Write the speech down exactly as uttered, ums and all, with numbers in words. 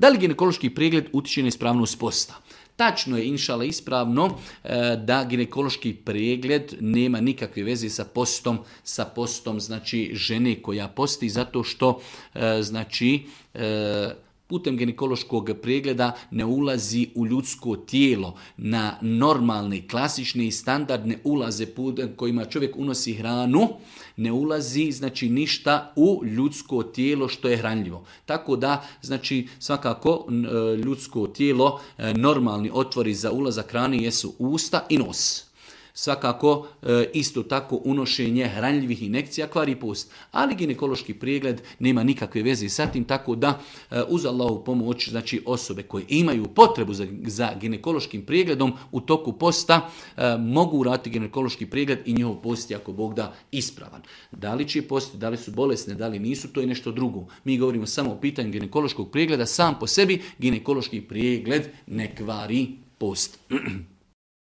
Da li ginekološki pregled utječe na ispravnost posta? Tačno je, inšala, ispravno da ginekološki pregled nema nikakve veze sa postom, sa postom znači žene koja posti, zato što znači putem ginekološkog pregleda ne ulazi u ljudsko tijelo na normalne, klasične i standardne ulaze putem kojima čovjek unosi hranu, ne ulazi znači ništa u ljudsko tijelo što je hranljivo. Tako da znači svakako ljudsko tijelo, normalni otvori za ulazak hrane jesu usta i nos. Svakako isto tako unošenje hranljivih injekcija kvari post, ali ginekološki pregled nema nikakve veze sa tim, tako da uz Allahovu pomoć znači osobe koje imaju potrebu za, za ginekološkim pregledom u toku posta mogu uraditi ginekološki pregled i njihov post je ako Bog da ispravan. Da li će post, da li su bolesne, da li nisu, to je nešto drugo. Mi govorimo samo o pitanju ginekološkog pregleda, sam po sebi ginekološki pregled ne kvari post.